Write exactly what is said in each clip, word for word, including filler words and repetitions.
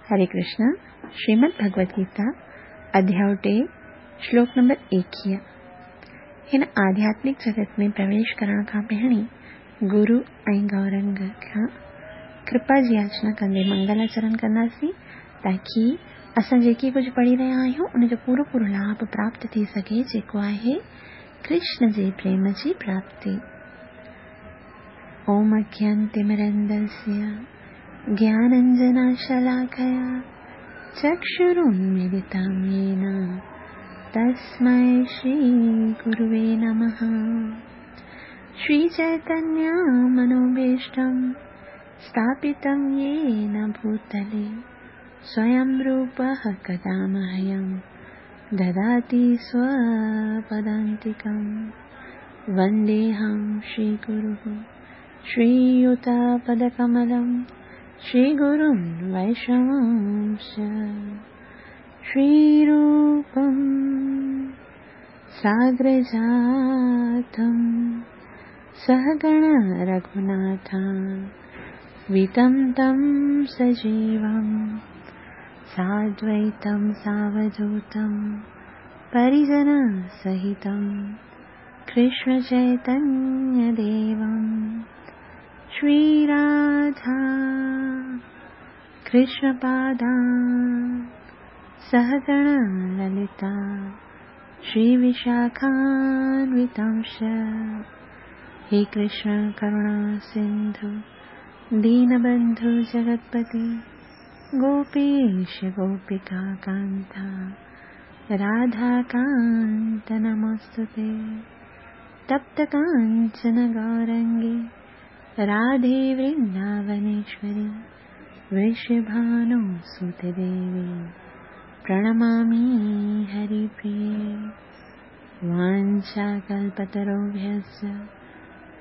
हरे कृष्णा। श्रीमद् भगवद गीता अध्याय टे, श्लोक नंबर एकीह। हिन आध्यात्मिक जगत में प्रवेश करण खां पहिरीं गुरु ऐं गौरंग खां कृपा जी याचना कंदे मंगलाचरण कंदासीं, ताकी असां जेकी कुझु पढ़ी रहिया आहियूं उनजो पूरो पूरो लाभ प्राप्त थी सघे, जेको आहे कृष्ण जे प्रेम जी प्राप्ति। ओम अज्ञानतिमिरन्दस्य ज्ञानाञ्जनशलाकया चक्षुरुन्मीलितं येन तस्मै श्रीगुरुवे नमः। श्रीचैतन्यमनोभीष्टं स्थापितं येन भूतले स्वयं रूपः कदा मह्यं ददाति स्वपदान्तिकं। वन्देऽहं श्रीगुरुः श्रीयुतपदकमलं श्रीगुरुं वैष्णवंश्च श्रीरूपं साग्रजातं सहगण रघुनाथं वितं तं सजीवं साद्वैतं सावधूतं परिजनसहितं कृष्णचैतन्यदेवं श्रीराधा कृष्णपादा सहगण ललिता श्रीविशाखान्वितांश। हे कृष्ण करुणा सिंधु दीनबंधु जगत्पति गोपेश गोपिका कांता राधाकांत नमोस्तुते। तप्त कांचन गौरंगी राधे वृंदावनेश्वरी वृषभानुसुते देवी प्रणमामि हरिप्रिये। वाञ्छाकल्पतरुभ्यश्च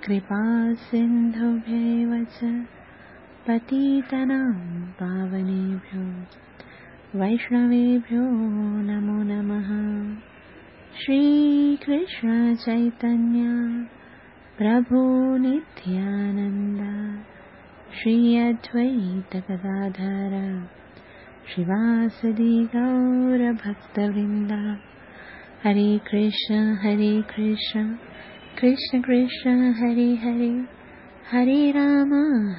कृपा सिन्धुभ्यैव च पतितानां पावनेभ्यो वैष्णवेभ्यो नमो नमः। श्रीकृष्ण चैतन्य प्रभु नित्यानंद श्री अद्वैत गदाधर श्रीवासदि गौर भक्तवृंद। हरे कृष्ण हरे कृष्ण कृष्ण कृष्ण हरे हरे, हरे राम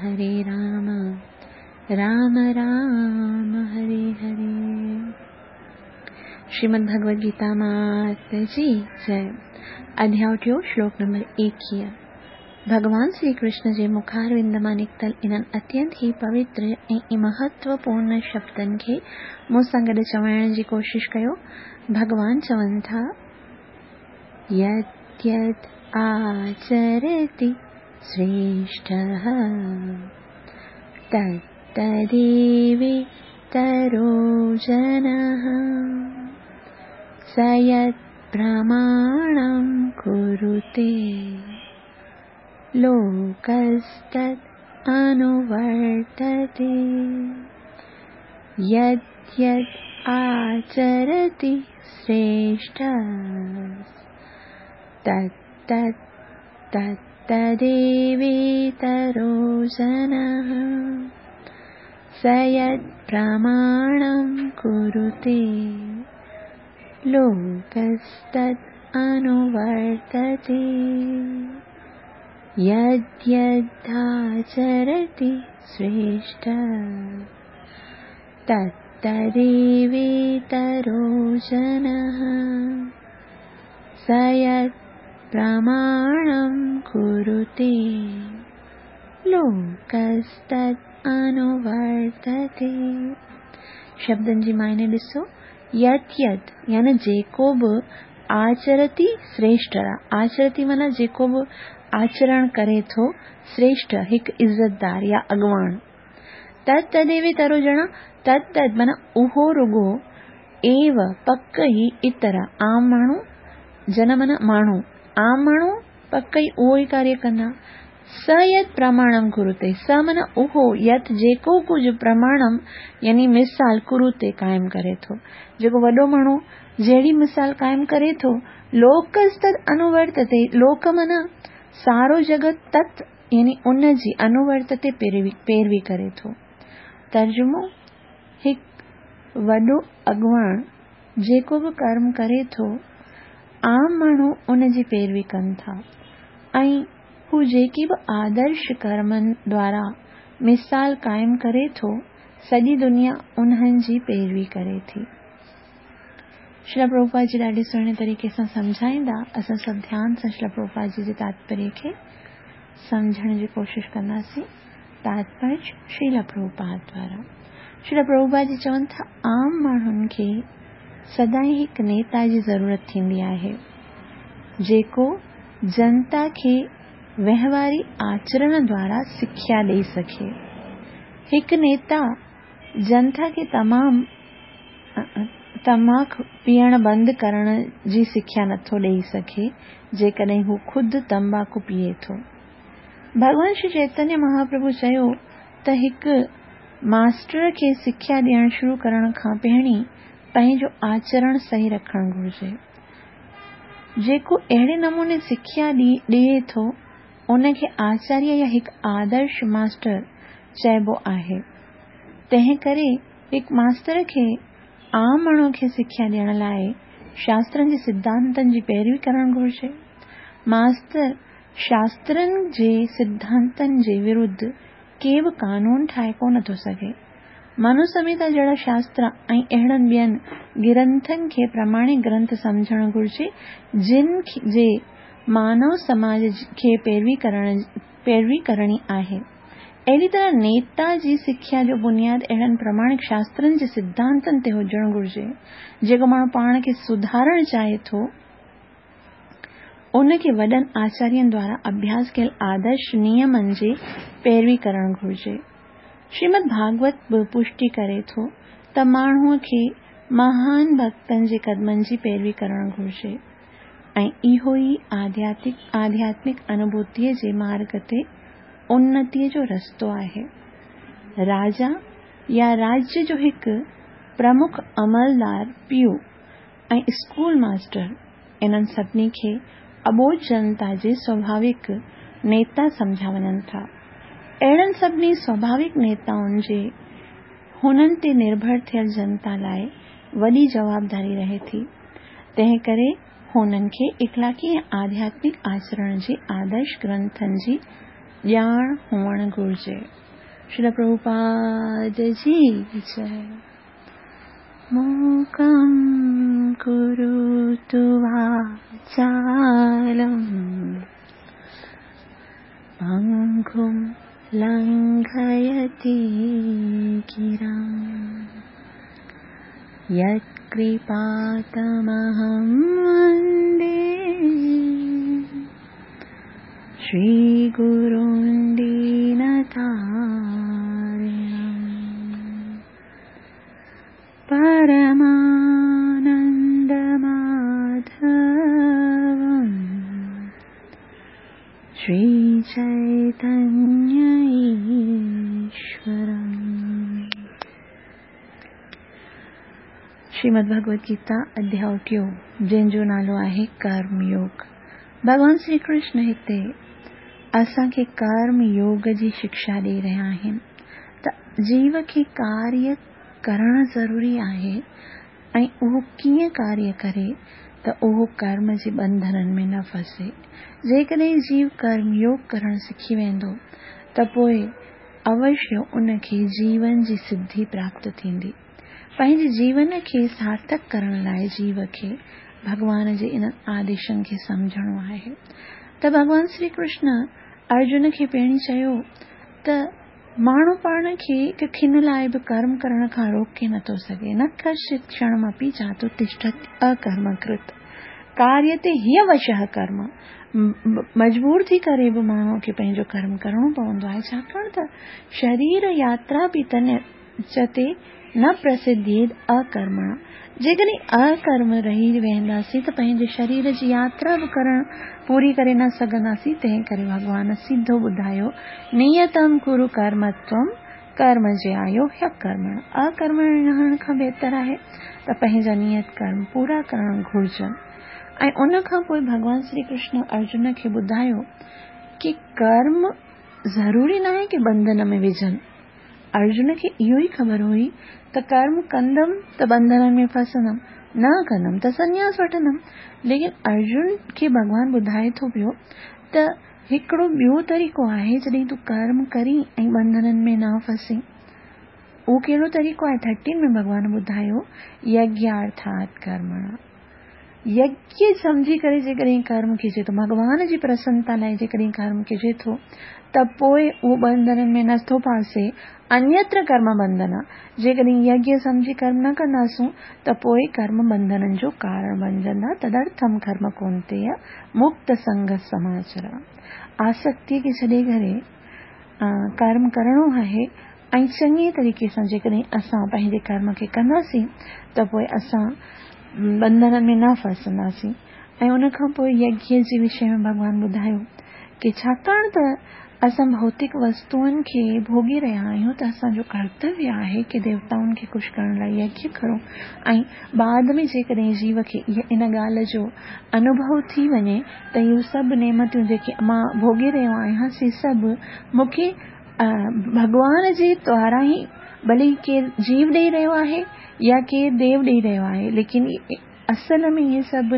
हरे राम राम राम हरे हरे। श्रीमद् भगवद गीता मात जी जय। अध्याय टियों, श्लोक नंबर एकीह। भगवान श्री कृष्ण जे मुखारविंद मां निकितल इन्हनि अत्यंत ही पवित्र ऐं महत्वपूर्ण शब्दनि खे मूं सां गॾु चवण जी कोशिश कयो। भगवान चवनि था, यत् यत् आचरति श्रेष्ठः तत्तदेवेतरो जनः स यत् प्रमाणं कुरुते लोकस्तत् अनुवर्तते। यत् यत् आचरति श्रेष्ठः तत् तत् तत्तदेवेतरो जनः स यत् प्रमाणं कुरुते लोकस्तत् अनुवर्तते। यद्यदाचरति श्रेष्ठः तत्तदेवेतरो जनः स यत् प्रमाणं कुरुते लोकस्तत् अनुवर्तते। शब्दनि जी मायने ॾिसो, यत् यत् यानी जेको बि आचरति श्रेष्ठ, आचरति माना जेको बि आचरण करे थो, श्रेष्ठ हिकु इज़तदार या अॻवान, तत् तदेवेतरो जना तत् तत् माना उहो रुगो एव पक ई इतर आम माण्हू, जन माना माण्हू, आम माण्हू पक ई उहो ई कार्य कंदा। स यत् प्रमाणं कुरुते, स माना उहो, यत् जेको कुझु प्रमाणम यानी मिसाल कुरुते क़ाइम करे थो, जेको वॾो माण्हू जहिड़ी मिसाल क़ाइम करे थो, लोकस्तद अनुवर्तते, लोक माना सारो जगत, तत् यानी उन जी अनुवर्तते पैरवी पैरवी करे थो। तर्जुमो, हिकु वॾो अॻवान जेको बि कर्म करे थो, आम माण्हू उन जी पैरवी कनि था ऐं हू जेकी बि आदर्श कर्मनि द्वारा मिसाल क़ाइमु करे थो, सॼी दुनिया उन्हनि जी पैरवी करे थी। श्रील प्रभुपाद जी ॾाढे सुहिणे तरीक़े सां सम्झाईंदा। असां सभु ध्यान सां श्रील प्रभुपाद जी जे तात्पर्य खे सम्झण जी कोशिशि कंदासीं। तात्पर्य श्रील प्रभुपाद द्वारा। श्रील प्रभुपाद जी चवनि था, आम माण्हुनि खे सदाईं हिकु नेता जी ज़रूरत थींदी आहे जेको जनता खे वहिंवारी आचरण द्वारा सिख्या ॾेई सघे। हिकु नेता जनता खे तमामु तमाक पीअण बंदि करण जी सिख्या नथो ॾेई सघे जेकॾहिं हू ख़ुदि तंबाकू पीए थो। भॻवान श्री चैतन्य महाप्रभु चयो त हिकु मास्टर खे सिख्या ॾियण शुरू करण खां पहिरीं पंहिंजो आचरण सही रखणु घुरिजे। जेको अहिड़े नमूने सिख्या ॾिए थो उनखे आचार्य या हिकु आदर्श मास्टर चइबो आहे। तंहिं करे हिकु मास्टर खे आम माण्हू खे सिख्या ॾियण लाइ शास्त्रनि जे सिद्धांतनि जी पैरवी करणु घुरिजे। मास्टर शास्त्रनि जे सिद्धांतनि जे विरुद्ध के बि कानून ठाहे कोन थो सघे। मनुसंहिता जहिड़ा शास्त्र ऐं अहिड़नि ॿियनि ग्रंथनि खे प्रमाणिक ग्रंथ सम्झणु घुरिजे जिन जे मानव समाज खे पैरवी करण पैरवी करणी आहे। अहिड़ी तरह नेता जी सिख्या जो बुनियाद अहिड़नि प्रमाणिक शास्त्रनि जे सिद्धांतनि ते हुजणु घुरिजे। जेको माण्हू पाण खे सुधारणु चाहे थो उनखे वॾनि आचार्यनि द्वारा अभ्यास कयल आदर्श नियमनि जी पैरवी करणु घुरिजे। श्रीमद् भागवत बि पुष्टि करे थो त माण्हूअ खे महान भक्तनि जे कदमनि जी पैरवी करणु घुरिजे ऐं इहो ई आध्यात्मिक आध्यात्मिक अनुभूतीअ जे मार्ग ते उन्नतीअ जो रस्तो आहे। राजा या राज्य जो हिकु प्रमुख अमलदार, पीउ ऐं स्कूल मास्टर इन्हनि सभिनी खे अबोध जनता जे स्वाभाविक नेता सम्झा वञनि था। अहिड़नि सभिनी स्वाभाविक नेताउनि जे हुननि ते निर्भर थियल जनता लाइ वॾी जवाबदारी रहे थी। तंहिं करे हुननि खे इख़लाक़ी ऐं आध्यात्मिक आचरण जे आदर्श ग्रंथनि जी ॼाण हुअणु घुरिजे। श्रील प्रभुपाद जी जय। मूकं करोतु वाचालं पङ्गुं लङ्घयते गिरिं यत्कृपातमहं वन्दे श्रीगुरुं दीनतारिणं परमानन्दमाधवं श्रीचैतन्य ईश्वरम्। श्रीमद् भगवद गीता अध्याय टियों जंहिंजो नालो आहे कर्मयोग। भॻवान श्री कृष्ण हिते असांखे कर्म योग जी शिक्षा ॾेई रहिया आहिनि त जीव खे कार्य करणु ज़रूरी आहे ऐं उहो कीअं कार्य करे त उहो कर्म जे बंधननि में न फसे। जेकॾहिं जीव कर्म योग करणु सिखी वेंदो त पोइ अवश्य उनखे जीवन जी सिद्धि प्राप्त थींदी। पंहिंजे जीवन खे सार्थक करण लाइ जीव खे भॻवान जे इन्हनि आदेशनि खे सम्झणो आहे। त भॻवान श्री कृष्ण अर्जुन खे पहिरीं चयो त माण्हू पाण खे हिकु खिन लाइ बि कर्म करण खां रोके नथो सघे। न कश्चित् क्षणमपि जातु तिष्ठति अकर्मकृत कार्यते ह्यवशः कर्म। मजबूर थी करे बि माण्हूअ खे पंहिंजो कर्म करणो पवंदो आहे, छाकाणि त शरीर यात्रा बि तन ते न प्रसिद्धेद अकर्मणा। जेकॾहिं अकर्म रही वेंदासीं त पंहिंजे शरीर जी यात्रा बि करण पूरी करे न सघंदासीं। तंहिं करे भॻवान सिधो ॿुधायो, नियतम कुरु कर्म त्वं कर्म ज्यायो ह्यकर्मण। अकर्म रहण खां बहितर आहे त पंहिंजा नियत कर्म पूरा करण घुरिजनि। ऐं उन खां पोइ भॻवान श्री कृष्ण अर्जुन खे ॿुधायो की कर्म ज़रूरी न आहे की बंधन में विझनि, अर्जुन खे इहो ई ख़बर हुई त कर्म कंदमि त बंधननि में फसंदमि, न कंदमि त संन्यास वठंदमि। लेकिन अर्जुन खे भॻवान ॿुधाए थो पियो त हिकिड़ो ॿियो तरीक़ो आहे जॾहिं तूं कर्म करी ऐं बंधननि में न फसी। उहो कहिड़ो तरीक़ो आहे? थर्टीन में भॻवान ॿुधायो यज्ञार्थात् कर्मणा। यज्ञ सम्झी करे जेकॾहिं कर्म कजे थो, भॻवान जी प्रसन्नता लाइ जेकॾहिं कर्म कजे थो त पोइ उहो बंधननि में नथो फासे। अन्यत्र कर्म बंधन, जेकॾहिं यज्ञ सम्झी कर्म न कंदासूं त पोइ कर्म बंधननि जो कारण बणिजंदा। तदर्थम कर्म कौन्तेय मुक्त संग समाचर। आसक्ति खे छॾे करे कर्म करणो आहे ऐं चङे तरीक़े सां जेकॾहिं असां पंहिंजे कर्म खे कंदासीं त पोइ असां बंधननि में न फसंदासीं। ऐं उन खां पोइ यज्ञ जे विषय में भॻवान ॿुधायो की छाकाणि त असां भौतिक वस्तुअनि खे भोगी रहिया आहियूं त असांजो कर्तव्य आहे की देवताउनि खे ख़ुशि करण लाइ यज्ञ करूं। ऐं बाद में जेकॾहिं जीव खे इन ॻाल्हि जो अनुभव थी वञे त इहो सभु नेमतियूं जेके मां भोगी रहियो आहियां से सभु मूंखे भॻवान जे द्वारा ई, भले केरु जीव ॾेई रहियो आहे या केरु देव ॾेई रहियो आहे, लेकिन असल में इहे सभु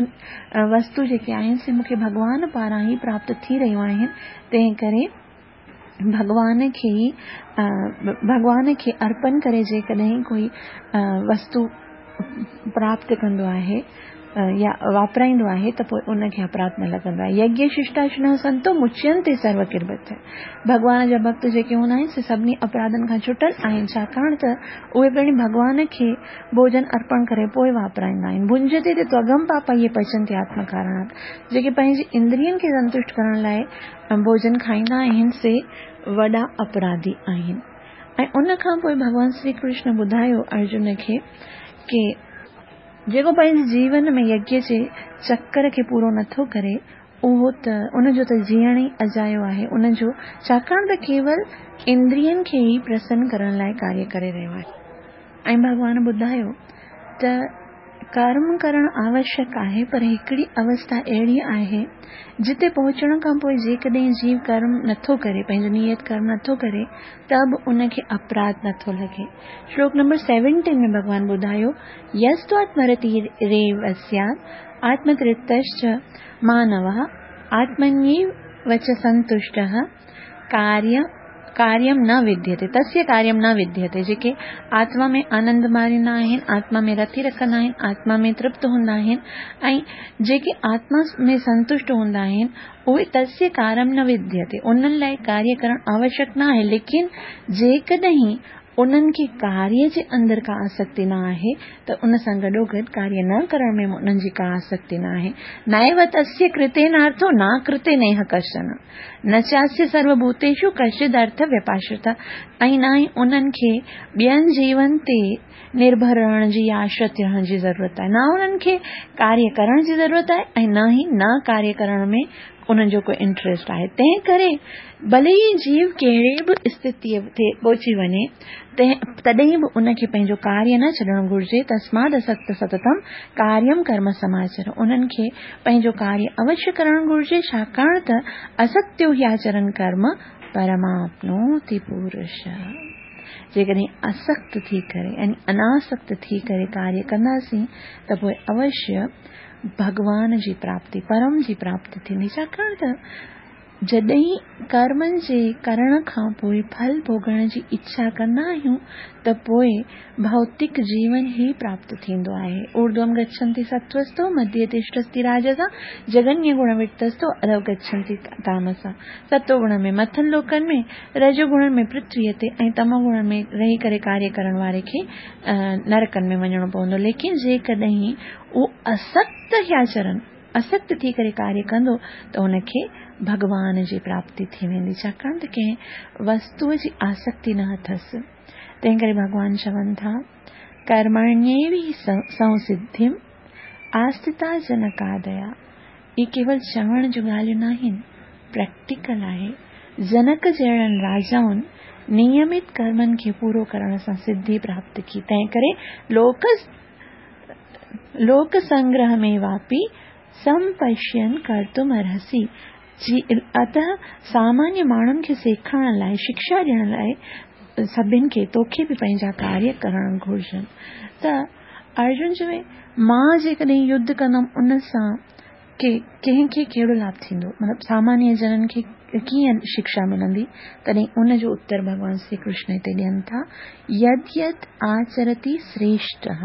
वस्तु जेके आहिनि से मूंखे भॻवान पारां ई प्राप्त थी रहियूं आहिनि। तंहिं करे भॻवान खे ई भॻवान खे अर्पण करे जेकॾहिं कोई वस्तु प्राप्त कंदो आहे या वापराईंदो आहे त पोइ उनखे अपराध न लॻंदो आहे। यज्ञ शिष्टाशिनः संतो मुच्यन्ते सर्वकिर्बत। भॻवान जा भक्त जेके हूंदा आहिनि से सभिनी अपराधनि खां छुटल आहिनि, छाकाणि त उहे पिणु भॻवान खे भोजन अर्पण करे पोइ वापराईंदा आहिनि। भुंजते ते त्वगम पापा इहे पचन्ते आत्मकारणात्। जेके पंहिंजी इंद्रियनि खे संतुष्ट करण लाइ भोजन खाईंदा आहिनि से वॾा अपराधी आहिनि। ऐं उन खां पोइ भॻवान श्री कृष्ण ॿुधायो अर्जुन खे की जेको पंहिंजे जीवन में यज्ञ जे चक्कर खे पूरो नथो करे उहो त उनजो त जीअण ई अजायो आहे। उनजो छाकाणि त केवल इंद्रियनि खे ई प्रसन्न करण लाइ कार्य करे रहियो आहे। ऐं भॻवान ॿुधायो त कर्म करण आवश्यक आहे, पर हिकिड़ी अवस्था अहिड़ी आहे जिते पहुचण खां पोइ जेकॾहिं जीव कर्म नथो करे, पंहिंजो नियत कर्म नथो करे, त बि उनखे अपराध नथो लॻे। श्लोक नंबर सेवनटीन में भॻवान ॿुधायो यस्त्वात्मरतिरेव स्यात् आत्मतृप्तश्च मानवः आत्मन्येव च संतुष्टः कार्य कार्यं न विद्यते तस्य कार्यं न विद्यते। जेके आत्मा में आनंद मारींदा आहिनि, आत्मा में रति रखंदा आहिनि, आत्मा में तृप्त हूंदा आहिनि ऐं जेके आत्मा में संतुष्ट हूंदा आहिनि उहे तस्य कार्यं न विद्यते, उन्हनि लाइ कार्य करणु आवश्यक न आहे। लेकिन जेकॾहिं उन्हनि खे कार्य जे अंदरि का आसक्ति न आहे त उन सां गॾोगॾु कार्य न करण में उन्हनि जी का आसक्ति न आहे। नैव तस्य कृतेनार्थो न कृते नेह कश्चन न चास्य सर्वभूतेषु कश्चिद् अर्थ व्यपाश्रिता। ऐं न ई उन्हनि खे ॿियनि जीवन ते निर्भर रहण जी या आश्रित रहण जी ज़रूरत आहे, न उन्हनि खे कार्य करण जी ज़रूरत आहे ऐं न ई न कार्य करण में उन्हनि जो कोई इंट्रस्ट आहे। तंहिं करे भले ई जीव कहिड़े बि स्थितीअ ते पहुची वञे तॾहिं बि उनखे पंहिंजो कार्य न छॾणु घुरिजे। तस्माद् असक्त सततम कार्यं कर्म समाचर। उन्हनि खे पंहिंजो कार्य अवश्य करणु घुरिजे, छाकाणि त असत्यो हि आचरण कर्म परमाप्नोति पुरुष। जेकॾहिं असक्त थी करे यानी अनासक्त थी करे कार्य कंदासीं त पोइ अवश्य भॻवान जी प्राप्ति, परम जी प्राप्ति थींदी। छाकाणि त जॾहिं कर्मनि जे करण खां पोइ फल भोगण जी इच्छा कंदा आहियूं त पोइ भौतिक जीवन ई प्राप्त थींदो आहे। ऊर्ध्वं गच्छन्ति सत्त्वस्तो मध्ये तिष्ठन्ति राजसा जघन्य गुणवृत्तस्तो अधो गच्छन्ति तामसा। सत्वगुण में मथनि लोकनि में, रजोगुण में पृथ्वीअ ते ऐं तमोगुण में रही करे कार्य करण वारे खे नरकनि में वञिणो पवंदो। लेकिन जेकॾहिं उहो असक्त ह्याचरण असक्त थी करे कार्य कंदो त हुनखे भॻवान जी प्राप्ति थी वेंदी, छाकाणि त कंहिं वस्तूअ जी आसक्ति न अथसि। तंहिं करे भॻवान चवनि था कर्मण्येव हि संसिद्धिम् आस्थिता जनकादया। इहे केवल चवण जूं ॻाल्हियूं न आहिनि, प्रैक्टिकल आहे। जनक जहिड़नि राजाउनि नियमित कर्मनि खे पूरो करण सां सिद्धि प्राप्त की। तंहिं करे लोक लोक संग्रह में वापि संपश्यन कर्तुम अर्हसि। अतः सामान्य माण्हुनि खे सेखारण लाइ, शिक्षा ॾियण लाइ सभिनि खे तोखे बि पंहिंजा कार्य करणु घुर्जनि। त अर्जुन चवे मां जेकॾहिं युद्ध कंदमि उन सां के कंहिंखे कहिड़ो लाभ थींदो, मतिलबु सामान्य जननि खे कीअं शिक्षा मिलंदी? तॾहिं उनजो उत्तर भॻवान श्री कृष्ण हिते ॾियनि था, यद यद आचरति श्रेष्ठः,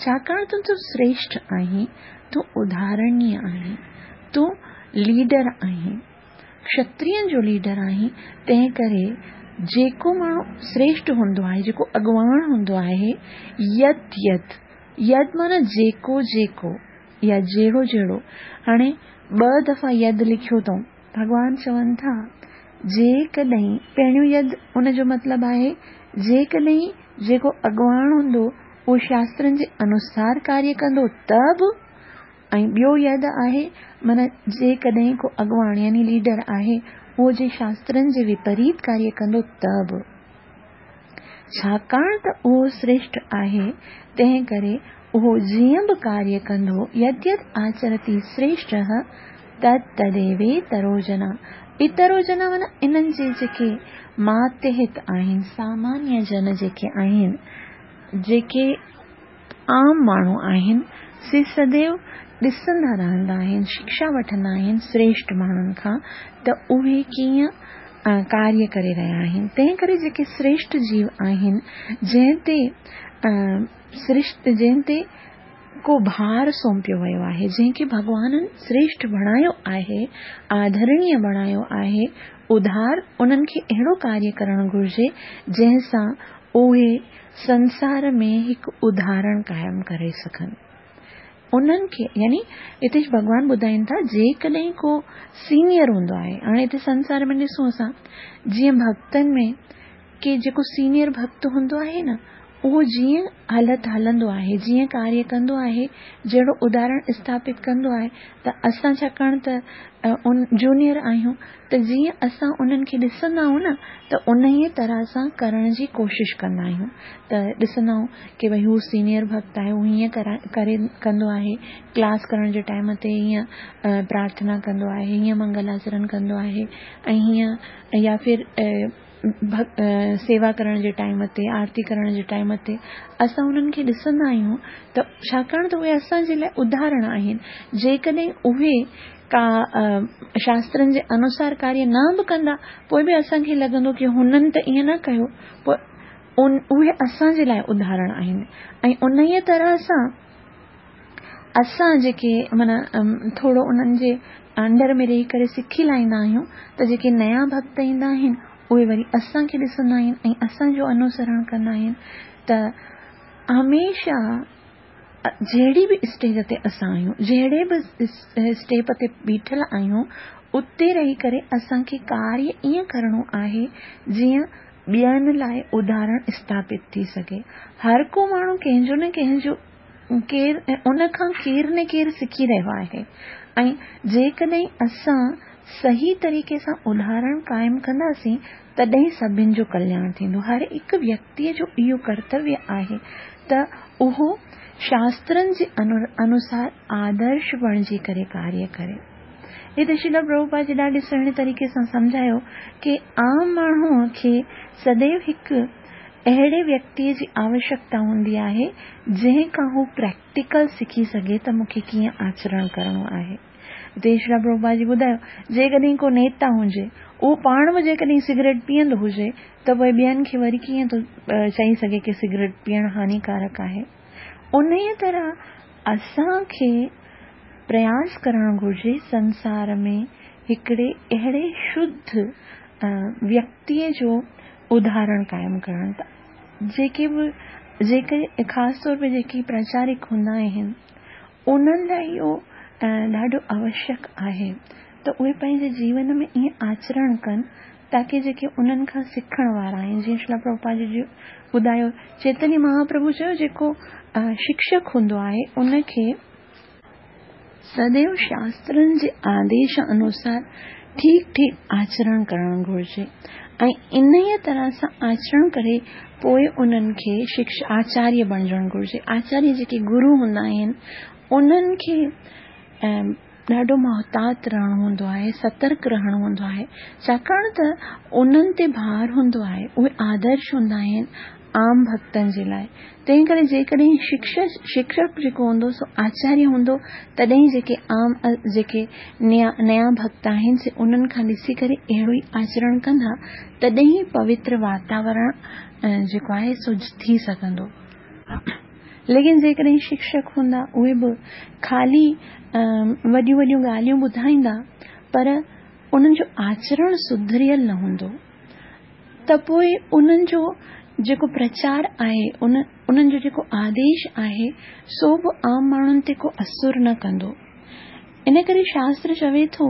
छाकाणि त तूं श्रेष्ठ आहीं, तूं उदाहरणीय आहीं, तूं लीडर आहीं, क्षत्रियनि जो लीडर आहीं, तंहिं करे जेको माण्हू श्रेष्ठ हूंदो आहे, जेको अॻवान हूंदो आहे, यद यद, यद माना जेको जेको या जहिड़ो जहिड़ो। हाणे ॿ दफ़ा यद लिखियो अथऊं, भॻवान चवनि था जेकॾहिं पहिरियों यद उनजो मतिलबु आहे जेकॾहिं जेको अॻवान हूंदो उहो शास्त्रनि जे अनुसार कार्य कंदो त बि, ऐं ॿियो यद आहे माना जेकॾहिं को अॻवान यानी लीडर आहे उहो जे शास्त्रनि जे विपरीत कार्य कंदो त बि, छाकाणि त उहो श्रेष्ठ आहे तंहिं करे उहो जीअं बि कार्य कंदो, यद यद आचरति श्रेष्ठः तद तदेवेतरो जना। इतरो जना माना इन्हनि जे जेके मातहत आहिनि, सामान्य जन जेके आहिनि, जेके आम माण्हू आहिनि, से सदैव ॾिसंदा रहंदा आहिनि, शिक्षा वठंदा आहिनि श्रेष्ठ माण्हुनि खां त उहे कीअं कार्य करे रहिया आहिनि। तंहिं करे जेके श्रेष्ठ जीव आहिनि, जंहिं ते श्रेष्ठ जंहिं ते को भार सौंपियो वियो आहे, जंहिंखे भॻवाननि श्रेष्ठ बणायो आहे, आदरणीय बणायो आहे, उधार उन्हनि खे अहिड़ो कार्य करणु घुर्जे जंहिं सां उहे संसार में हिकु उदाहरण क़ाइमु करे सघनि। उन्हनि खे यानी हिते भॻवान ॿुधाइनि था जेकॾहिं को सीनियर हूंदो आहे, हाणे हिते संसार में ॾिसूं असां जीअं भक्तनि में की जेको सीनियर भक्त हूंदो आहे न, उहो जीअं हलत हलंदो आहे, जीअं कार्य कंदो आहे, जहिड़ो उदाहरण स्थापित कंदो आहे, त असां छाकाणि त उन जूनियर आहियूं त जीअं असां उन्हनि खे ॾिसंदा आहियूं न त उन ई तरह सां करण जी कोशिश कंदा आहियूं। त ॾिसंदा आहियूं की भई हू सीनियर भक्त आहे, हू हीअं करे कंदो आहे, क्लास करण जे टाइम ते हीअं प्रार्थना कंदो आहे, हीअं मंगलाचरण कंदो आहे, ऐं हीअं या फिर सेवा करण जे टाइम ते, आरती करण जे टाइम ते असां उन्हनि खे ॾिसंदा आहियूं त छाकाणि त उहे असांजे लाइ उदाहरण आहिनि। जेकॾहिं उहे का शास्त्रनि जे अनुसार कार्य न बि कंदा पोइ बि असांखे लॻंदो की हुननि त ईअं न कयो, पोइ उन उहे असांजे लाइ उदाहरण आहिनि। ऐं उन ई तरह सां असां जेके माना थोरो उन्हनि जे अंडर में रही करे सिखी लाहींदा आहियूं त जेके नया भक्त ईंदा आहिनि उहे वरी असांखे ॾिसंदा आहिनि ऐं असांजो अनुसरण कंदा आहिनि। त हमेशा जहिड़ी बि स्टेज ते असां आहियूं, जहिड़े बि स्टेप ते बीठल आहियूं, उते रही करे असांखे कार्य ईअं करणो आहे जीअं ॿियनि लाइ उदाहरण स्थापित थी सघे। हर को माण्हू कंहिंजो न कंहिंजो केरु उन खां केरु न केरु सिखी रहियो आहे ऐं जेकॾहिं असां सही तरीक़े सां उदाहरण क़ाइमु कंदासीं तॾहिं सभिनि जो कल्याण थींदो। हर हिकु व्यक्तीअ जो इहो कर्तव्य आहे त उहो शास्त्रनि जे अनुसार आदर्श बणिजी करे कार्य करे। हिते श्रील प्रभुपाद जी ॾाढे सुहिणे तरीक़े सां सम्झायो की आम माण्हूअ खे सदैव हिकु अहिड़े व्यक्तीअ जी आवश्यकता हूंदी आहे जंहिं खां हू प्रैक्टिकल सिखी सघे त मूंखे कीअं आचरण करणो आहे। हिते श्रील प्रभुपाद जी ॿुधायो जेकॾहिं को नेता हुजे, उहो पाण बि जेकॾहिं सिगरेट पीअंदो हुजे त पोइ ॿियनि खे वरी कीअं थो चई सघे की सिगरेट पीअण हानिकारक आहे। उन ई तरह असांखे प्रयास करणु घुर्जे संसार में हिकिड़े अहिड़े शुद्ध व्यक्तीअ जो उदाहरण क़ाइमु करणु। त जेके बि जेके ख़ासि तौर ते जेके प्रचारिक हूंदा आहिनि उन्हनि लाइ इहो ॾाढो आवश्यक आहे त उहे पंहिंजे जीवन में ईअं आचरण कनि ताकी जेके उन्हनि खां सिखण वारा आहिनि, जीअं श्रील प्रभुपाद जी ॿुधायो, चैतन्य महाप्रभु चयो जेको शिक्षक हूंदो आहे उनखे सदैव शास्त्रनि जे आदेश अनुसार ठीकु ठीकु आचरण करणु घुर्जे ऐं इन ई तरह सां आचरण करे पोइ उन्हनि खे शिक्षा आचार्य बणिजणु घुर्जे। आचार्य जेके गुरू हूंदा आहिनि उन्हनि खे ڏاڍو محتاط رهڻو هوندو آهي، سترڪ رهڻو هوندو آهي، ڇاڪاڻ ته انهن تي ڀار هوندو آهي، اهي آدرش هوندا آهن عام ڀڳتن جي لاءِ. تنهن ڪري جيڪڏهن شڪشڪ جيڪو هوندو سو آچاريه هوندو، تڏهن جيڪي عام جيڪي نيا نيا ڀڳت آهن سي انهن کان ڏسي ڪري اهڙو ئي آچرڻ ڪندا، تڏهن ئي پوتر واتاورڻ جيڪو آهي سو ٿي سگهندو. ليڪن جيڪڏهن شڪشڪ هوندا اهي به خالي وڏيون وڏيون ڳالهيون ٻڌائيندا پر انهن جو آچرڻ سڌريل نه هوندو، ته پوءِ انهن جو جيڪو پرچار آهي، ان انهن جو جيڪو آديش آهي سو به عام ماڻهن تي ڪو اثر نه ڪندو. ان ڪري شاستر چوي ٿو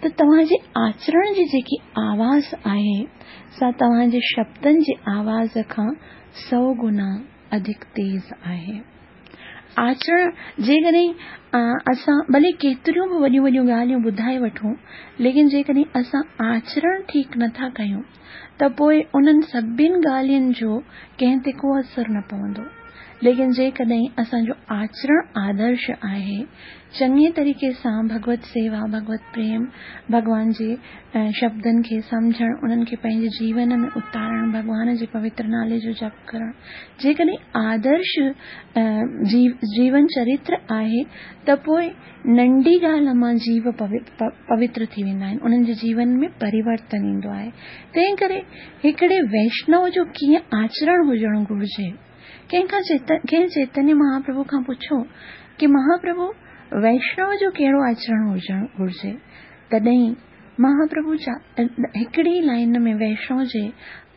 ته توهان جي آچرڻ جي جيڪي آواز آهي سا توهان جي شبدن جي آواز کان سؤ گنا اڌڪ تيز آهي. آچرڻ جيڪڏهن اسان ڀلي ڪيتريون به وڏيون وڏيون ڳالهيون ٻڌائي وٺون، ليڪن جيڪڏهن اسان آچرڻ ٺيڪ نٿا ڪيون ته پوءِ انهن سڀني ڳالهين جو ڪنهن تي ڪو اثر نه پوندو. ليڪن جيڪڏهن اسان جو آچرڻ آدرش آهي، چڱي طريقي سان ڀڳوت سيوا، ڀڳوت پريم، ڀڳوان جي شبدن کي سمجهڻ، انهن کي پنهنجي جيون ۾ اتارڻ، ڀڳوان جي پوتر نالي جو جپ ڪرڻ، جيڪڏهن آدرش جيون چرتر آهي ته پوءِ ننڍي ڳالهه مان جيو پوتر ٿي ويندا آهن، انهن جي جيون ۾ پريورتن ايندو آهي. تنهن ڪري هڪڙي ويشنو جو ڪيئن آچرڻ هجڻ گهرجي؟ ڪنهن کان ڪنهن چيتنيه مهاپرڀو کان پڇو ڪه مهاپرڀو ويشنو جو ڪهڙو آچرڻ هجڻ گهرجي؟ تڏهن مهاپرڀو هڪڙي لائن ۾ ويشنو جي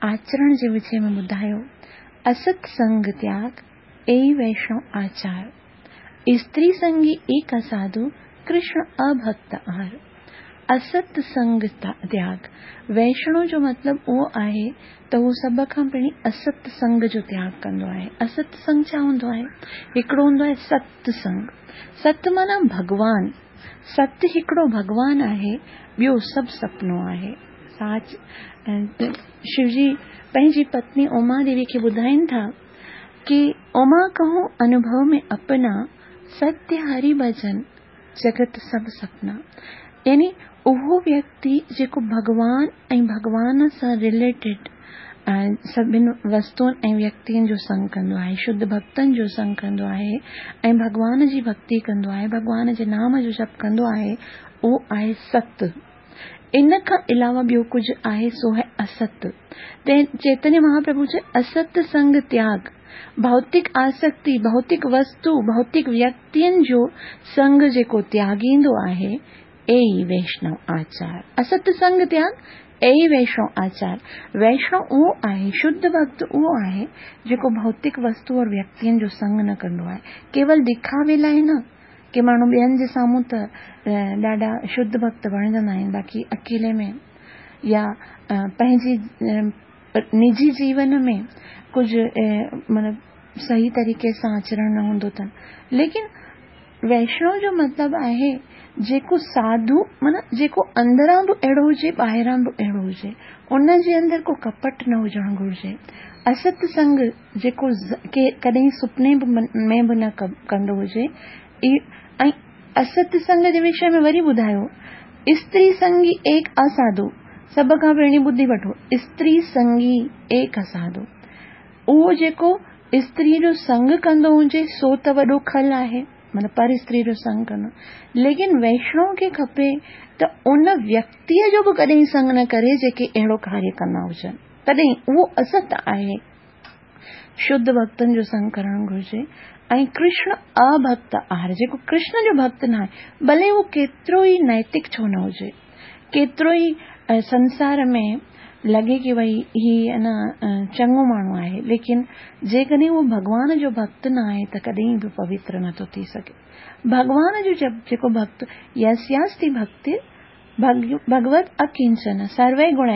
آچرڻ جي وچ ۾ ٻڌايو، است سنگ تياڳ اي ويشنو آچار، استري سنگي ايڪ اساڌو، ڪرشن اڀڪت آر. است سنگ تياڳ، ويشنو جو مطلب اهو آهي ته هو سڀ کان پهرين است سنگ جو تياڳ ڪندو آهي. است سنگ ڇا هوندو آهي؟ هڪڙو هوندو آهي ست سنگ. ست معنيٰ ڀڳوان، ست هڪڙو ڀڳوان آهي، ٻيو سڀ سپنو آهي. ساچ شوجي پنهنجي پتني اما ديوي کي ٻڌائين ٿا ڪه اما ڪهون انوڀو ۾ اپنا، ستيه هري ڀجن جڳت سڀ سپنا. يعني اهو ويڪتي جيڪو ڀڳوان ۽ ڀڳوان سان رليٽيڊ سڀني وستن ۽ ويڪتين جو سنگ ڪندو آهي، شڌ ڀڳتن جو سنگ ڪندو آهي ۽ ڀڳوان جي ڀڳتي ڪندو آهي، ڀڳوان جي نام جو جپ ڪندو آهي، اهو آهي ست. ان کان علاوه ٻيو ڪجهه آهي سو آهي است. چيتنيه مهاپرڀو چيو است سنگ تياڳ، ڀوتڪ آسڪتي، ڀوتڪ وستو، ڀوتڪ ويڪتين جو سنگ جيڪو تياڳيندو آهي اي ويشنو آچار. است سنگ تياڳ اي ويشنو آچار. ويشنو اهو آهي، شڌ ڀڳت اهو آهي جيڪو ڀوتڪ وستو اور ويڪتين جو سنگ نه ڪندو آهي، ڪيول ڏکاوي لاءِ نه ڪه ماڻهو ٻين جي سامهون ته ڏاڍا شڌ ڀڳت بڻجندا آهن، باقي اڪيلي ۾ يا پنهنجي نجي جيون ۾ ڪجهه مطلب صحيح طريقي سان آچرڻ نه هوندو اٿن. ليڪن ويشنو جو مطلب آهي جيڪو ساڌو، معنيٰ جيڪو اندران به اهڙو هجي ٻاهران به اهڙو هجي، ان جي اندر ڪو ڪپٽ نه هجڻ گهرجي. است سنگ جيڪو ڪڏهن سپني ۾ به نه ڪندو هجي. ۽ است سنگ جي وشي ۾ وري ٻڌايو، استري سنگي ايڪ اساڌو. سڀ کان پهرين ٻڌي وٺو، استري سنگي ايڪ اساڌو، اهو جيڪو استري جو سنگ ڪندو هجي سو ته وڏو کل آهي، معنيٰ پر استري جو سنگ ڪندو. ليڪن ويشنو کي کپي ته ان ويڪتيءَ جو به ڪڏهن سنگ نه ڪري جيڪي اهڙو ڪاريه ڪندا هجن، تڏهن اهو است آهي. شڌ ڀڳتن جو سنگ ڪرڻ گهرجي. ۽ ڪرشن اڀڪت آهي، جيڪو ڪرشن جو ڀڳت نه آهي، ڀلي اهو ڪيترو ئي نيتڪ ڇو نه هجي، ڪيترو ئي سنسار ۾ لڳي ڪه ڀئي هي نه چڱو ماڻهو آهي، ليڪن جيڪڏهن اهو ڀڳوان جو ڀڳت نه آهي ته ڪڏهن به پوتر نٿو ٿي سگهي. ڀڳوان جو جيڪو ڀڳت، يسياستي ڀڪتي ڀڳوت اڪنچن سروي گڻ،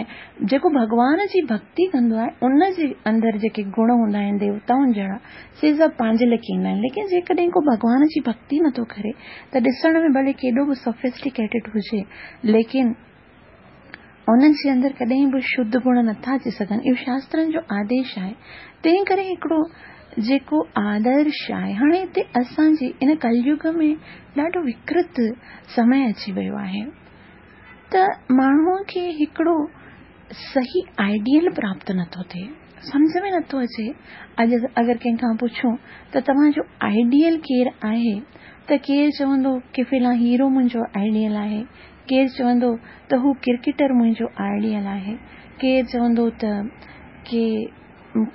جيڪو ڀڳوان جي ڀڪتي ڪندو آهي ان جي اندر جيڪي گڻ هوندا آهن ديوتائن جهڙا، سي سڀ پنهنجي ليکي ايندا آهن. ليڪن جيڪڏهن ڪو ڀڳوان جي ڀڪتي نٿو ڪري ته ڏسڻ ۾ ڀلي ڪيڏو به سوفسٽيڪيٽيڊ هجي، ليڪن انهن جي اندر ڪڏهن به شڌ گڻ نٿا اچي سگهن. اهو شاسترن جو آديش آهي. تنهن ڪري هڪڙو جيڪو آدرش آهي، هاڻي هتي اسان جي ان ڪليگ ۾ ڏاڍو وڪرت سمي اچي ويو آهي ته ماڻهوءَ کي هڪڙو صحيح آئيڊيل پراپت نٿو ٿئي، سمجهه ۾ نٿو اچي. اڄ اگر ڪنهن کان پڇون ته توهان جو آئيڊيل ڪير آهي ته ڪير چوندو ڪه فلان هيرو منهنجو آئيڊيل آهي، ڪير چوندو ته هو ڪرڪيٽر منهنجو آئيڊيل آهي، ڪير چوندو ته ڪي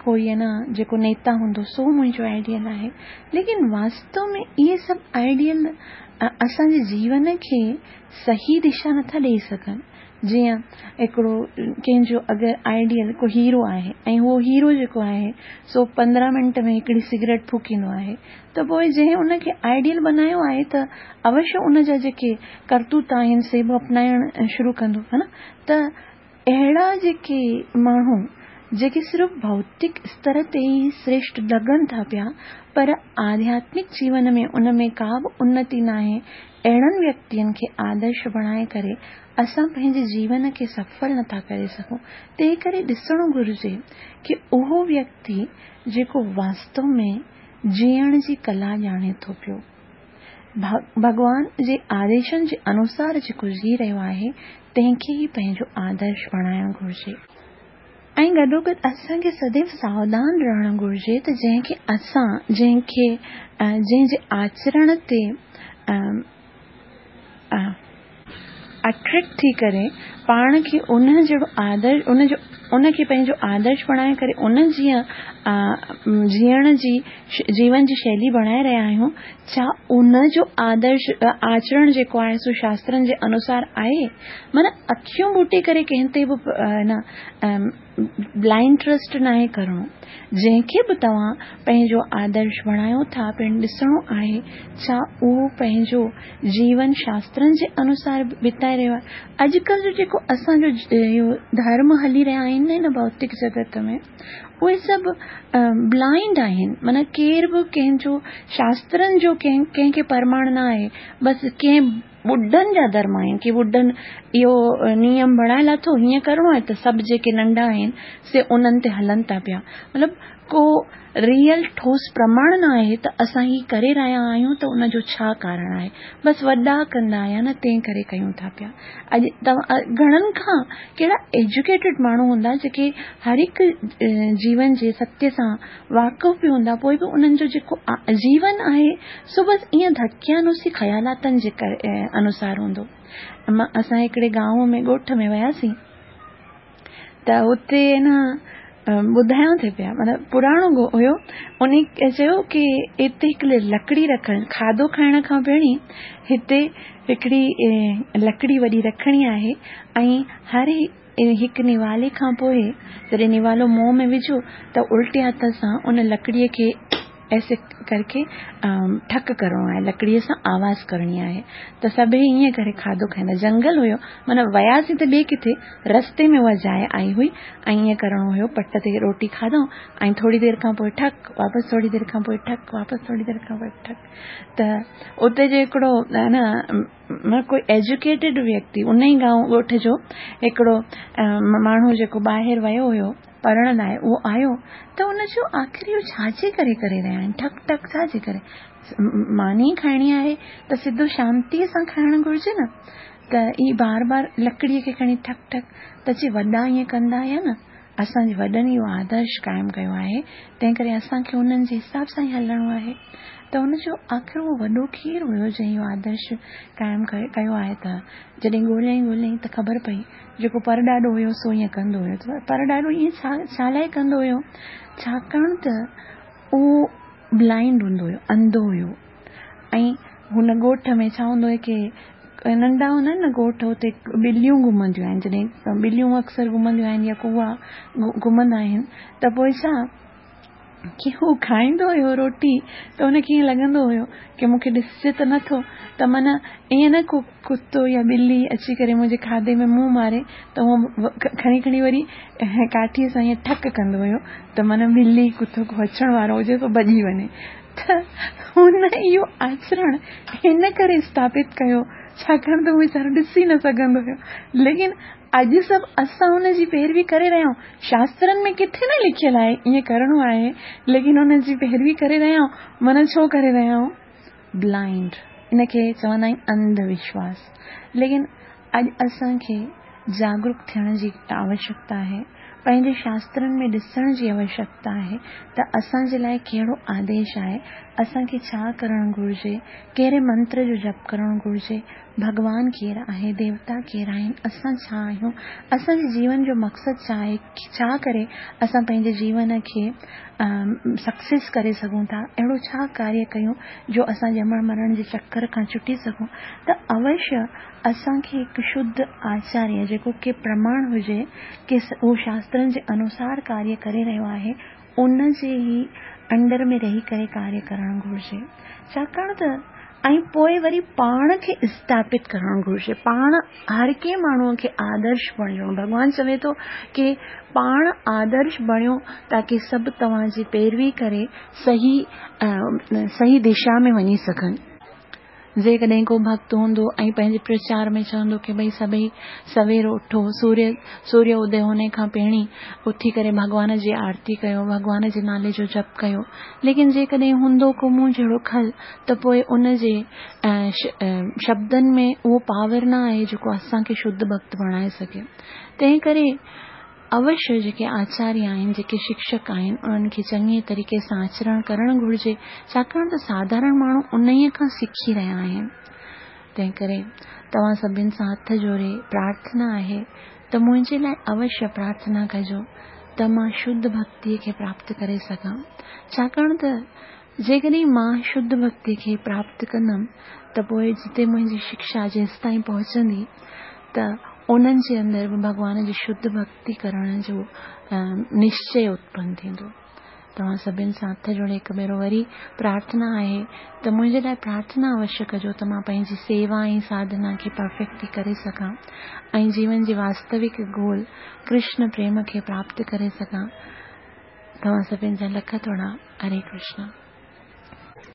ڪوئي نه جيڪو نيتا هوندو سو منهنجو آئيڊيل آهي. ليڪن واستو ۾ اهي سڀ آئيڊيل اسان جي جيون کي صحيح دشا نٿا ڏيئي سگهن. جيئن هڪڙو ڪنهن جو اگر آئيڊيل ڪو هيرو آهي ۽ اهو هيرو جيڪو آهي سو پندرهن منٽ ۾ هڪڙي سگريٽ ڦوڪيندو آهي ته پوءِ جنهن ان کي آئيڊيل بنايو آهي ته اوشيه ان جا جيڪي ڪرتوت آهن سي به اپنائڻ شروع ڪندو ها نه. ته اهڙا جيڪي ماڻهو جيڪي صرف ڀوتڪ استر تي ئي شريشٺ لڳن ٿا پيا پر آڌياتمڪ جيون ۾ ان ۾ ڪا به انتي ناهي، اهڙن ويڪتين کي آدرش بڻائي ڪري اسان پنهنجي جيون کي سڦل نٿا ڪري سگهون. تنهن ڪري ڏسڻو گهرجي ڪه اهو ويڪتي جيڪو واستو ۾ جيئڻ جي ڪلا ڄاڻي ٿو پيو، ڀڳوان جي آديشن جي انوسار جيڪو جي رهيو آهي تنهن کي ئي پنهنجو آدرش بڻائڻ گهرجي. ۽ گڏوگڏ اسان کي سديو ساوڌان رهڻ گهرجي ته جنهن کي اسان جنهن کي جنهن جي آچرڻ تي اٽريڪٽ ٿي ڪري پاڻ کي ان جهڙو آدرش ان جو ان کي پنهنجو آدرش بڻائي ڪري ان جيئن جيئڻ جي جيون جي شيلي بڻائي رهيا آهيون، ڇا ان جو آدرش آچرڻ جيڪو آهي سو شاسترن جي انوسار آهي؟ معنيٰ اکيون ٻوٽي ڪري ڪنهن تي به نه بلائنڊ ٽرسٽ ناهي ڪرڻو. جنهن کي به توهان پنهنجو آدرش بڻايو ٿا پڻ ڏسڻو آهي ڇا اهو پنهنجو جيون شاسترن جي انوسار بتائي رهيو آهي. اڄڪلهه جو جيڪو اسان جو اهو ڌرم هلي رهيا آهن نه هن ڀوتڪ جڳت ۾ اهي سڀ بلائنڊ آهن، معنيٰ ڪير به ڪنهن جو شاسترن جو ڪنهن ڪنهن کي پرماڻ نه آهي، بس ڪنهن ٻڍن جا ڌرم آهن ڪه ٻڍن اهو نيم بڻائي لاٿو هيئن ڪرڻو آهي ته سڀ جيڪي ننڍا آهن سي انهن تي هلن ٿا پيا. مطلب ڪو ريئل ٺوس پرماڻ نه آهي ته اسان هي ڪري رهيا آهيون ته ان جو ڇا ڪارڻ آهي، بس وڏا ڪندا آهيا نه تنهن ڪري ڪيون ٿا پيا. اڄ توهان گهڻن کان ڪهڙا ايجوڪيٽيڊ ماڻهو هوندا جيڪي هر هڪ جيون جي ستيه سان واقف به هوندا، پوءِ به انهن جو جيڪو جيون آهي سو بس ائين ڌڪيانوسي خيالاتن جي انوسار هوندو. اسان هڪڙي گانو ۾ ڳوٺ ۾ وياسين ته هتي نه ٻڌايون ٿي پيا، معنيٰ پراڻو هيو، ان چيو ڪه هتي هڪڙي لڪڙي رکڻ، کاڌو کائڻ کان پهرين هتي هڪڙي لڪڙي وڏي رکڻي آهي ۽ هر هڪ نوالي کان پوءِ جڏهن نوالو منهن ۾ وجهو ته الٽي هٿ سان ان لڪڙيءَ کي ايسي ڪرڪي ٺڪ ڪرڻو آهي، لڪڙيءَ سان آواز ڪرڻي آهي. ته سڀئي ائين ڪري کاڌو کائيندا. جنگل هيو، معنيٰ وياسين ته ٻئي ڪٿي رستي ۾ اها جاءِ آئي هئي ۽ ائين ڪرڻو هيو، پٽ تي روٽي کاڌئون ۽ ٿوري دير کان پوءِ ٺڪ واپس، ٿوري دير کان پوءِ ٺڪ واپس، ٿوري دير کان پوءِ ٺڪ. ته اتي جو هڪڙو نه ڪوئي ايجوڪيٽيڊ ويڪتي ان ئي گانو ڳوٺ جو هڪڙو ماڻهو جيڪو ٻاهر ويو هيو پڙهڻ لاءِ، اهو آيو ته ان چيو آخر اهو ڇا جي ڪري ڪري رهيا آهن، ٺڪ ٺڪ ڇا جي ڪري؟ ماني کائڻي آهي ته سڌو شانتيءَ سان کائڻ گهرجي نه. ته هي بار بار لڪڙيءَ کي کڻي ٺڪ ٺڪ، ته چئي وڏا ائين ڪندا هئا نه، اسان جي وڏن اهو آدرش قائم ڪيو آهي، تنهن ڪري اسان کي انهن جي حساب سان ئي هلڻو آهي. ته ان جو آخر اهو وڏو ڪير هيو جنهن اهو آدرش قائم ڪيو آهي؟ ته جڏهن ڳولهيائين ڳولهيائين ته خبر پئي جيڪو پرڏاڏو هيو سو ائين ڪندو هيو. ته پرڏاڏو ائين ڇا ڇا لاءِ ڪندو هيو؟ ڇاڪاڻ ته اهو بلائنڊ هوندو هيو، انڌو هيو. ۽ هن ڳوٺ ۾ ڇا هوندو هيو ڪه ننڍا هوندا آهن نه ڳوٺ، هتي ٻليون گهمنديون آهن. جڏهن ٻليون اڪثر گهمنديون آهن يا ڪوئا گهمندا آهن ته پوءِ ڇا ڪه هو کائيندو هيو روٽي ته هن کي ائين لڳندو هيو ڪه مون کي ڏسجي ته نٿو، ته معنيٰ ائين نه ڪو ڪتو يا ٻلي اچي ڪري منهنجي کاڌي ۾ منهن ماري، ته اهو کڻي کڻي وري ڪاٺيءَ سان ائين ٺڪ ڪندو هيو ته معنيٰ ٻلي ڪتو ڪو اچڻ وارو هجي ته ڀڄي وڃي. ته هن اهو آچرڻ هن ڪري اسٿاپت ڪيو ڇاڪاڻ ته اهو ويچارو ڏسي نه سگهندو هيو. ليڪن اڄ سڀ اسان ان جي پيروي ڪري رهيا آهيون. شاسترن ۾ ڪٿي نه لکيل آهي ائين ڪرڻو آهي، ليڪن ان جي پيروي ڪري رهيا آهيون. معنيٰ ڇو ڪري رهيا آهيون؟ بلائنڊ، ان کي چوندا آهن انڌ وشواس. ليڪن اڄ اسان کي جاگروڪ ٿيڻ جي آوشيڪتا آهي، پنهنجي شاسترن ۾ ڏسڻ جي آوشيڪتا آهي ته اسان جي لاءِ ڪهڙو آديش آهي، اسان کي ڇا ڪرڻ گهرجي، ڪهڙي منتر جو جپ ڪرڻ گهرجي، ڀڳوان ڪير آهي، ديوتا ڪير آهن، اسان ڇا آهيون، اسان جي جيون جو مقصد ڇا آهي، ڇا ڪري اسان پنهنجي جيون کي سڪسيس ڪري سگهون ٿا، اهڙو ڇا ڪاريه ڪيون جو اسان ڄمڻ مرڻ جي چڪر کان ڇٽي سگهون. ته اوشيه اسان کي هڪ شڌ آچاريه جيڪو ڪي پرماڻ هجي ڪي اهو شاسترن جي انوسار ڪاريه ڪري رهيو آهي، ان جي ئي انڊر ۾ رهي ڪري ڪاريه ڪرڻ گهرجي. ڇاڪاڻ ته ۽ پوءِ وري پاڻ کي اسٿاپت ڪرڻ گهرجي، پاڻ هر ڪنهن ماڻهوءَ کي آدرش بڻجڻو. ڀڳوان چوي ٿو ڪي پاڻ آدرش بڻيو تاڪه سڀ توهان جي پيروي ڪري صحيح صحيح دشا ۾ وڃي سگهن. جيڪڏهن ڪو ڀڪت هوندو ۽ پنهنجي پرچار ۾ چوندو ڪي ڀئي سڀئي سوير اٿو، سوريه سوريه ادي هوني کان پهرين اٿي ڪري ڀڳوان جي آرتي ڪيو، ڀڳوان جي نالي جو جپ ڪيو. ليڪن جيڪڏهن هوندو ڪو مون جهڙو کل ته پوءِ ان جي شبدن ۾ اهو پاور نه آهي جيڪو اسان کي شڌ ڀڪت بڻائي سگهي. تنهن ڪري اوشيه جيڪي آچاريه آهن، جيڪي شڪشڪ آهن، انهن کي چڱي طريقي سان آچرڻ ڪرڻ گهرجي، ڇاڪاڻ ته ساڌارڻ ماڻهو انهيءَ کان سکي رهيا آهن. تنهن ڪري توهان سڀني سان هٿ جوڙي پرارٿنا آهي ته منهنجي لاءِ اوشيه پرارٿنا ڪجو ته مان شڌ ڀڪتيءَ کي پراپت ڪري سگهان. ڇاڪاڻ ته جيڪڏهن مان شڌ ڀڪتيءَ کي پراپت ڪندم ته پوءِ جتي منهنجي شڪشا جيستائين پهچندي ته انهن جي اندر به ڀڳوان جي شڌ ڀڪتي ڪرڻ جو نشچي اتپن ٿيندو. توهان سڀني سان هٿ جوڙي هڪ ڀيرو وري پرارٿنا آهي ته منهنجي لاءِ پرارٿنا اوشيه ڪجو ته مان پنهنجي سيوا ۽ ساڌنا کي پرفيڪٽلي ڪري سگهان ۽ جيون جي واستوڪ گول ڪرشن پريم کي پراپت ڪري سگهان. توهان سڀني جا لک ٿورا. هري ڪرشن.